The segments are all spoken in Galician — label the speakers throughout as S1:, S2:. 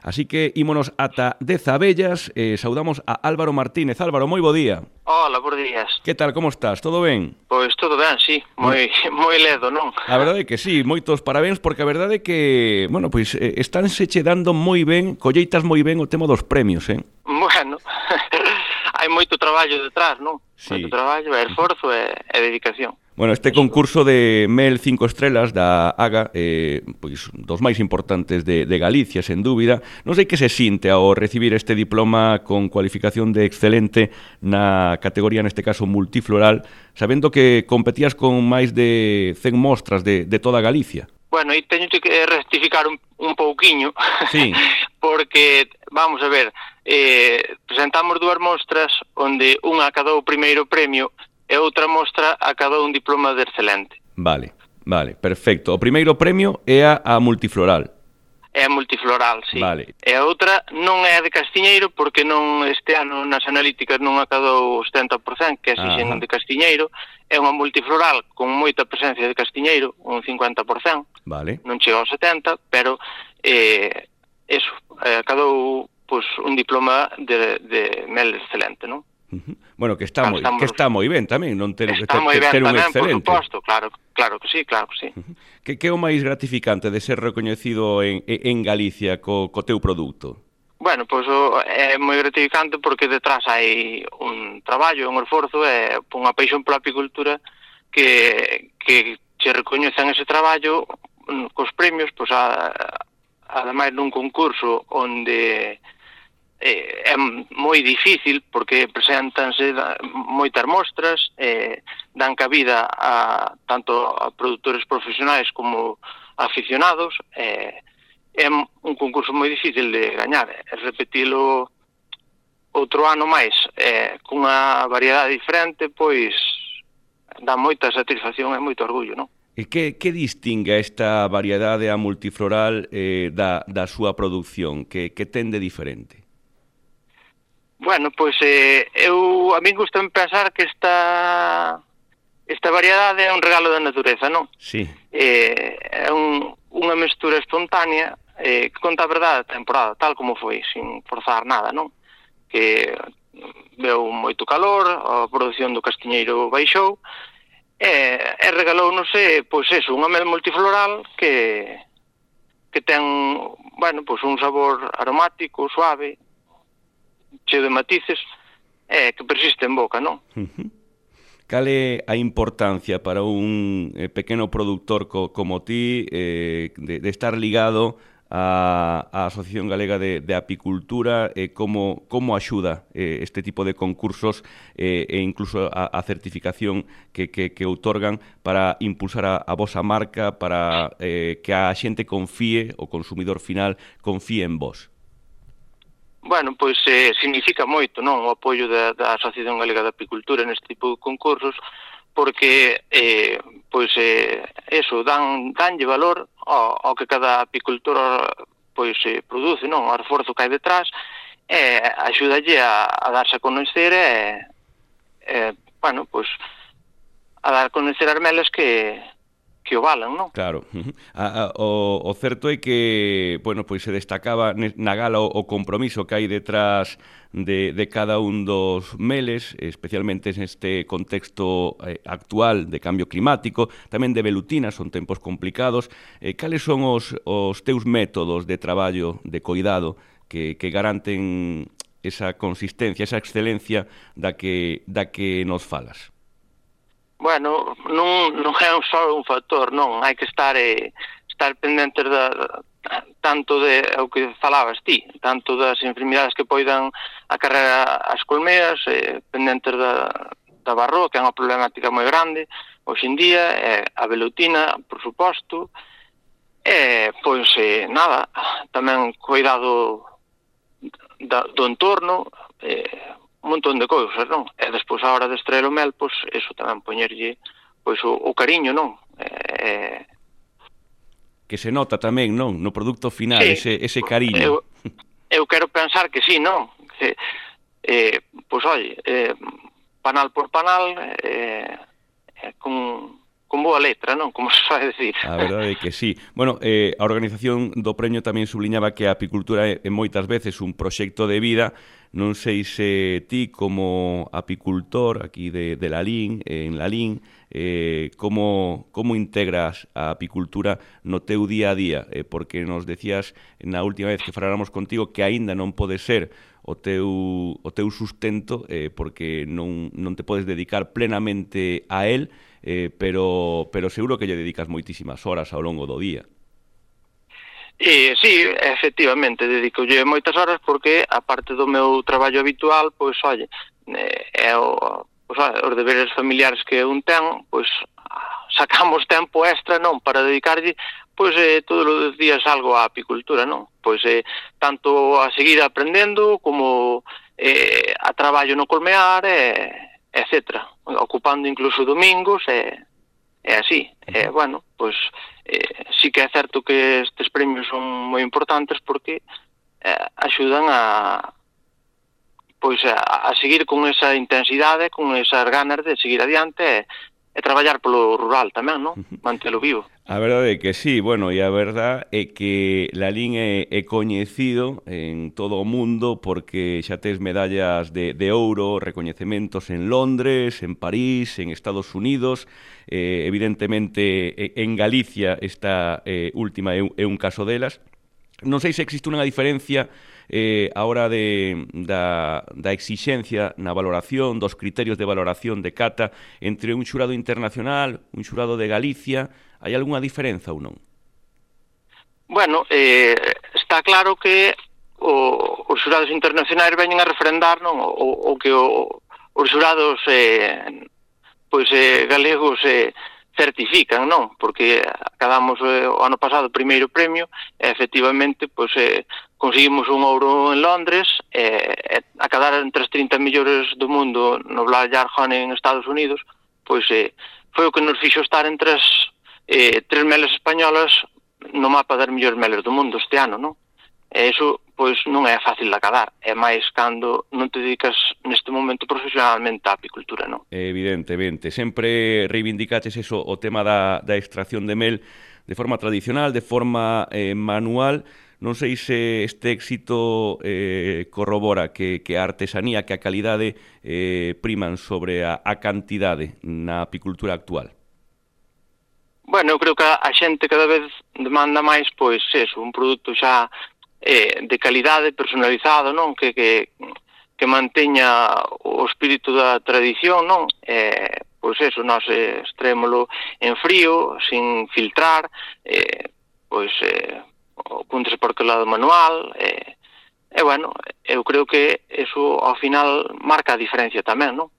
S1: Así que ímonos ata Dezabellas e saudamos a Álvaro Martínez. Álvaro, moi bo día.
S2: Hola, bons días.
S1: Que tal, como estás? Todo ben?
S2: Pois todo ben, sí,
S1: Bueno,
S2: moi ledo, non?
S1: a verdade é que sí, moitos parabéns, porque a verdade é que, bueno, pois estánse che dando moi ben, colleitas moi ben o tema dos premios,
S2: Bueno, hai moito traballo detrás, non? Moito
S1: Sí.
S2: traballo, esforzo e dedicación.
S1: Bueno, este
S2: Eso.
S1: concurso de Mel 5 estrelas da AGA, pois dos máis importantes de Galicia, sen dúbida. Non sei que se sinte ao recibir este diploma con cualificación de excelente na categoría, neste caso, multifloral, sabendo que competías con máis de 100 mostras de toda Galicia.
S2: Bueno, e teño que rectificar un pouquiño,
S1: Sí.
S2: porque, vamos a ver, presentamos dúas mostras onde unha acadou o primeiro premio e outra mostra acadou un diploma de excelente.
S1: Vale, perfecto. O primeiro premio é a multifloral.
S2: É multifloral, sí.
S1: Vale.
S2: E a outra non é de Castiñeiro, porque non este ano nas analíticas non acadou o 70%, que exixen de Castiñeiro. É unha multifloral con moita presencia de Castiñeiro, un 50%.
S1: Vale.
S2: Non chega ao 70%, pero acadou pois, un diploma de mel excelente, non?
S1: Bueno, que está moi ben tamén, non ter un
S2: tamén,
S1: excelente.
S2: Por suposto, claro que sí.
S1: Que é o máis gratificante de ser recoñecido en Galicia co teu produto?
S2: Bueno, pois é moi gratificante porque detrás hai un traballo, un esforzo e unha paixón pola apicultura que che recoñecen ese traballo cos premios, pois ademais nun concurso onde é moi difícil porque presentanse moitas mostras, dan cabida tanto a produtores profesionais como aficionados, é un concurso moi difícil de gañar, repetilo outro ano máis cunha variedade diferente, pois dá moita satisfacción e moito orgullo, non?
S1: E que distingue esta variedade a multifloral da súa produción? Que ten de diferente?
S2: Bueno, pois a min gusta pensar que esta variedade é un regalo da natureza, non?
S1: Sí.
S2: É unha mestura espontánea que conta a verdade da temporada, tal como foi, sin forzar nada, non? Que veu moito calor, a produción do castiñeiro baixou, e regalounos, pois eso, unha mel multifloral que ten, bueno, pois un sabor aromático, suave, cheo de matices, que persiste en boca, non?
S1: Cal é a importancia para un pequeno produtor como ti de estar ligado á Asociación Galega de Apicultura, como axuda este tipo de concursos e incluso a certificación que outorgan para impulsar a vosa marca, para que a xente confíe, o consumidor final confíe en vos?
S2: Bueno, pois significa moito, non, o apoio da Asociación Galega de Apicultura neste tipo de concursos, porque pois eso, danlle valor ao que cada apicultor pois produce, non, o esforzo que hai detrás, axúdalle a darse a conocer bueno, pois a dar a conocer as melas que o valan, non?
S1: Claro. O certo é que, bueno, pois se destacaba na gala o compromiso que hai detrás de cada un dos meles, especialmente neste contexto actual de cambio climático, tamén de velutina, son tempos complicados. Cales son os teus métodos de traballo, de cuidado, que garanten esa consistencia, esa excelencia da que nos falas?
S2: Bueno, non é só un factor, non, hai que estar pendentes tanto de o que falabas ti, tanto das enfermidades que poidan acarrear as colmeas, pendentes da barroa, que é unha problemática moi grande hoxe en día, a velutina, por suposto, pois nada, tamén cuidado do entorno, un montón de cousas, non? E despois a hora de extraer o mel, pois, eso tamén poñerlle pois o cariño, non?
S1: Que se nota tamén, non? No produto final, sí, ese cariño.
S2: Eu quero pensar que sí, non? Pois, oi, panal por panal, con con boa letra, non? Como se vai decir.
S1: A verdade é que sí. Bueno, a organización do premio tamén subliñaba que a apicultura é moitas veces un proxecto de vida. Non sei se ti, como apicultor aquí de Lalín, en Lalín, como integras a apicultura no teu día a día? Porque nos decías na última vez que faláramos contigo que aínda non pode ser o teu sustento, porque non te podes dedicar plenamente a él, pero seguro que lle dedicas moitísimas horas ao longo do día.
S2: Sí, efectivamente, dedicolle moitas horas porque, aparte do meu traballo habitual, pois, oye, os deberes familiares que un ten, pois, sacamos tempo extra, non, para dedicarlle, pois, todos os días algo á apicultura, non? Pois, tanto a seguir aprendendo, como a traballo no colmear, etcétera, ocupando incluso domingos, así. Bueno, pois, sí que é certo que estes premios son moi importantes porque axudan a seguir con esa intensidade, con esas ganas de seguir adiante e traballar polo rural tamén, non? Mantelo vivo.
S1: A verdade é que sí, bueno, e a verdade é que Lalín é coñecido en todo o mundo porque xa tes medallas de ouro, recoñecementos en Londres, en París, en Estados Unidos, evidentemente en Galicia esta última é un caso delas. Non sei se existe unha diferencia a hora da exixencia na valoración, dos criterios de valoración de cata entre un xurado internacional, un xurado de Galicia. Hai algunha diferenza ou non?
S2: Bueno, está claro que os xurados internacionais veñen a refrendar, non, o que os xurados galegos certifican, non? Porque acabamos o ano pasado o primeiro premio e efectivamente conseguimos un ouro en Londres, acadar entre as 30 millores do mundo no Black Jar Honey en Estados Unidos, pois foi o que nos fixo estar entre as 3 meles españolas no mapa das mellores meles do mundo este ano, non? E iso, pois, non é fácil de acadar, é máis cando non te dedicas neste momento profesionalmente á apicultura, non?
S1: Evidentemente, sempre reivindicaches eso, o tema da extracción de mel de forma tradicional, de forma manual. Non sei se este éxito corrobora que a artesanía, que a calidade priman sobre a cantidade na apicultura actual.
S2: Bueno, eu creo que a xente cada vez demanda máis, pois, eso, un produto xa de calidade, personalizado, non? Que manteña o espírito da tradición, non? Pois eso, nós extrémolo en frío, sin filtrar, puntes por que lado manual, bueno, eu creo que eso ao final marca a diferencia tamén, non?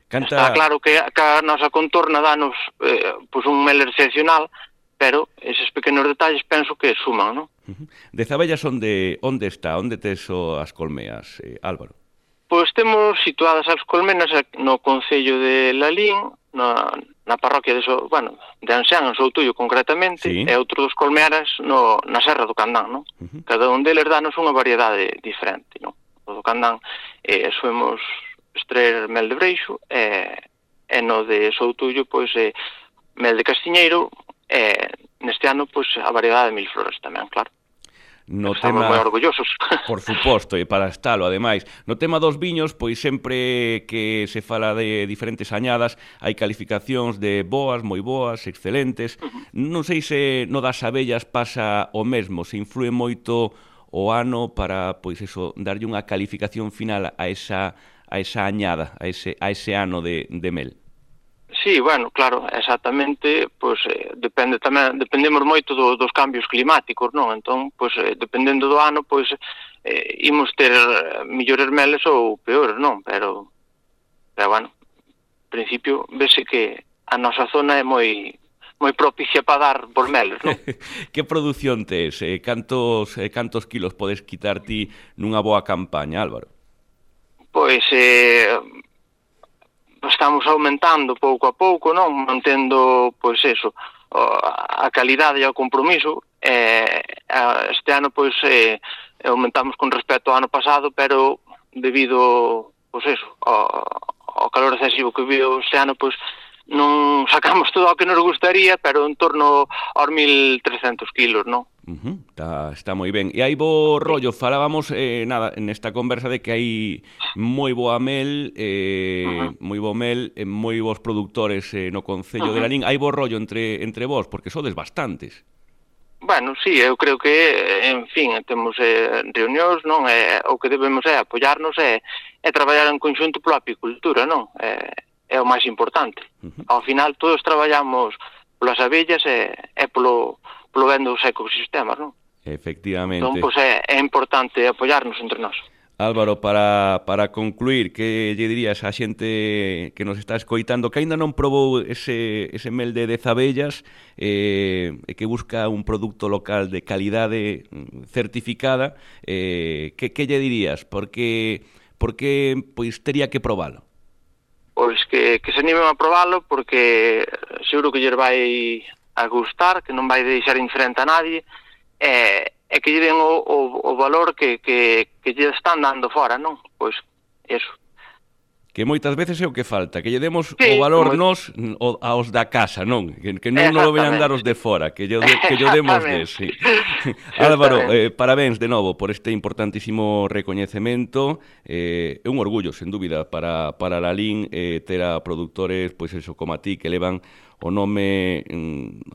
S2: Está claro que a nosa contorna danos un mel excepcional, pero eses pequenos detalles penso que suman, non?
S1: Dezabellas onde está? Onde tes as colmeas, Álvaro?
S2: Pois temos situadas as colmenas no concello de Lalín, na parroquia de Anxán, en Soutullo concretamente, sí. E outros colmearas na Serra do Candán, non? Cada un deles danos unha variedade diferente, non? O do Candán soemos extraer mel de breixo, e no de Soutullo, pois, mel de castiñeiro, e neste ano, pois, a variedade de mil flores tamén, claro. Estamos moi orgullosos.
S1: Por suposto, e para estalo, ademais. No tema dos viños, pois sempre que se fala de diferentes añadas, hai calificacións de boas, moi boas, excelentes. Non sei se no das abellas pasa o mesmo, se influe moito o ano para, pois eso, darlle unha calificación final a esa añada, a ese ano de mel.
S2: Sí, bueno, claro, exactamente, pois dependemos moito dos cambios climáticos, non? Entón, pois dependendo do ano, pois imos ter millores meles ou peores, non? Pero bueno, en principio vese que a nosa zona é moi propicia para dar por meles, non?
S1: Que produción tes? Cantos kilos podes quitar ti nunha boa campaña, Álvaro?
S2: Pois estamos aumentando pouco a pouco, non? Mantendo, pois eso, a calidade e o compromiso. Este ano, pois, aumentamos con respecto ao ano pasado, pero debido, pois eso, ao calor excesivo que viu este ano, pois, non sacamos todo o que nos gustaría, pero en torno aos 1.300 kilos, non?
S1: Está moi ben. E hai bo rollo, falábamos nada, nesta conversa de que hai moi boa mel, moi bo mel, moi bons produtores no Concello de Lalín. Hai bo rollo entre vós, porque sodes bastantes.
S2: Bueno, sí, eu creo que, en fin, temos reunións, non? O que debemos é apoiarnos e traballar en conxunto pola apicultura, non? É o máis importante. Ao final, todos traballamos polas abellas e polo ben dos ecosistemas, non?
S1: Efectivamente.
S2: Entón, pois é importante apoiarnos entre nós.
S1: Álvaro, para concluir, que lle dirías á xente que nos está escoitando que aínda non probou ese mel de 10 abellas e que busca un produto local de calidade certificada, que lle dirías? Porque pois tería que probalo?
S2: Pois que se animen a probalo, porque seguro que lle vai a gustar, que non vai deixar indiferente a nadie, e que lle den o valor que lle están dando fora, non? Pois, eso.
S1: Que moitas veces é o que falta, que lle demos o valor nós aos da casa, non? Que non nos lo veñan dar os de fora, que lle demos des. Sí. Álvaro, parabéns de novo por este importantísimo recoñecemento. É un orgullo, sen dúbida, para Lalín ter a produtores, pois eso, como a ti, que levan o nome,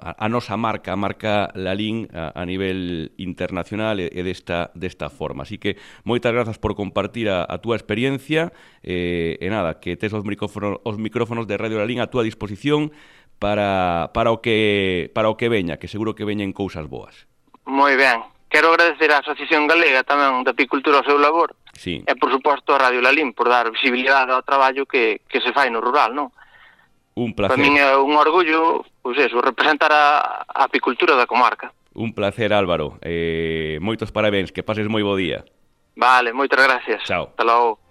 S1: a nosa marca, a marca Lalín a nivel internacional e desta forma. Así que moitas grazas por compartir a túa experiencia e nada, que tes os micrófonos de Radio Lalín a túa disposición para o que veña, que seguro que veñen cousas boas.
S2: Moi ben. Quero agradecer á Asociación Galega tamén de Apicultura o seu labor.
S1: Sí.
S2: E, por suposto, a Radio Lalín por dar visibilidade ao traballo que se fai no rural, non?
S1: Un placer.
S2: Para min é un orgullo, pois eso, representar a apicultura da comarca.
S1: Un placer, Álvaro. Moitos parabéns, que pases moi bo día.
S2: Vale, moitas gracias.
S1: Chao.
S2: Hasta logo.